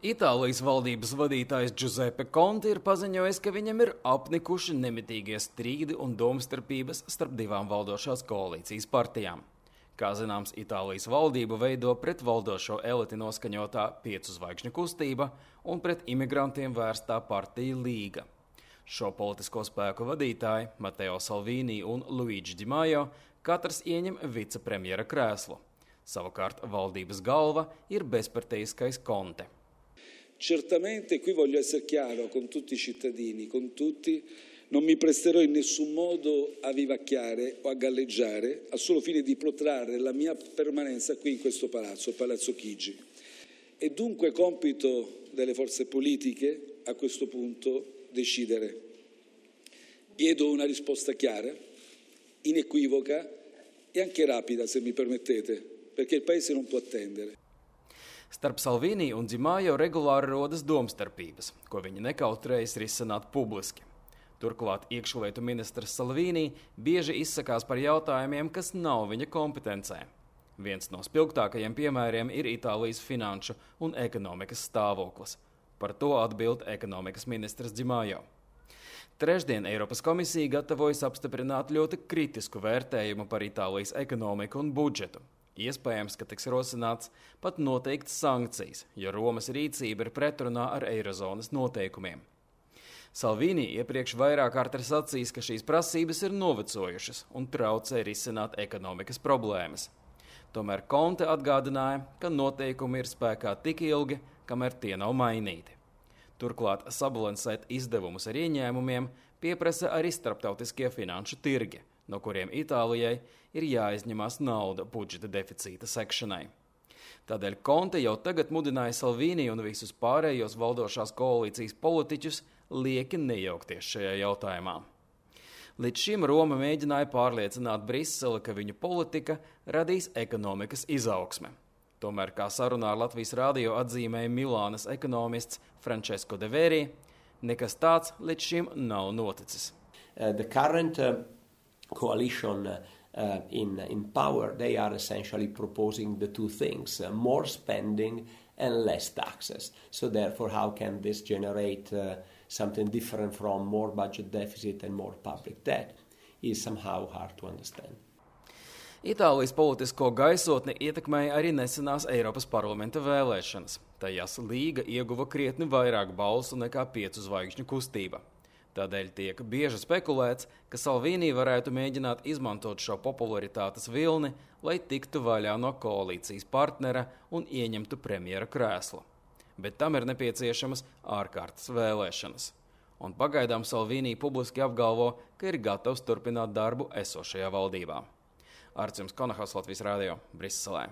Itālijas valdības vadītājs Giuseppe Conte ir paziņojis, ka viņam ir apnikuši nemitīgie strīdi un domstarpības starp divām valdošās koalīcijas partijām. Kā zināms, Itālijas valdību veido pret valdošo eliti noskaņotā 5 zvaigžņu kustība un pret imigrantiem vērstā partija Līga. Šo politisko spēku vadītāji, Matteo Salvini un Luigi Di Maio, katrs ieņem vicepremjera krēslu. Savukārt valdības galva ir bezparteiskais Conte. Certamente qui voglio essere chiaro con tutti i cittadini, con tutti, non mi presterò in nessun modo a vivacchiare o a galleggiare al solo fine di protrarre la mia permanenza qui in questo palazzo, Palazzo Chigi. È dunque compito delle forze politiche a questo punto decidere. Chiedo una risposta chiara, inequivoca e anche rapida, se mi permettete, perché il Paese non può attendere. Starp Salvini un Di Maio regulāri rodas domstarpības, ko viņi nekautrējas risināt publiski. Turklāt iekšlietu ministrs Salvini bieži izsakās par jautājumiem, kas nav viņa kompetencē. Viens no spilgtākajiem piemēriem ir Itālijas finanšu un ekonomikas stāvoklis. Par to atbild ekonomikas ministrs Di Maio. Trešdien Eiropas komisija gatavojas apstiprināt ļoti kritisku vērtējumu par Itālijas ekonomiku un budžetu. Iespējams, ka tiks rosināts pat noteikts sankcijas, jo Romas rīcība ir pretrunā ar eirozonas noteikumiem. Salvini iepriekš vairāk kārt ir sacījis, ka šīs prasības ir novecojušas un traucē risināt ekonomikas problēmas. Tomēr Conte atgādināja, ka noteikumi ir spēkā tik ilgi, kamēr tie nav mainīti. Turklāt sabalansēt izdevumus ar ieņēmumiem pieprasa arī starptautiskie finanšu tirgi, no kuriem Itālijai ir jāizņemās nauda budžeta deficīta sekšanai. Tādēļ Conte jau tagad mudināja Salvini un visus pārējos valdošās koalīcijas politiķus lieki nejaukties šajā jautājumā. Līdz šim Roma mēģināja pārliecināt Briseli, ka viņu politika radīs ekonomikas izaugsme. Tomēr, kā sarunā ar Latvijas radio atzīmēja Milānas ekonomists Francesco De Veri, nekas tāds līdz šim nav noticis. The current coalition in power, they are essentially proposing the two things, more spending and less taxes. So therefore, how can this generate something different from more budget deficit and more public debt is somehow hard to understand. Itālijas politisko gaisotni ietekmēja arī nesenās Eiropas parlamenta vēlēšanas. Tajās Līga ieguva krietni vairāk balsu nekā 5 zvaigžņu kustība. Tādēļ tiek bieži spekulēts, ka Salvini varētu mēģināt izmantot šo popularitātes vilni, lai tiktu vaļā no koalīcijas partnera un ieņemtu premjera krēslu. Bet tam ir nepieciešamas ārkārtas vēlēšanas. Un pagaidām Salvini publiski apgalvo, ka ir gatavs turpināt darbu esošajā valdībā. Arcims Konahaus, Latvijas radio, Briselē.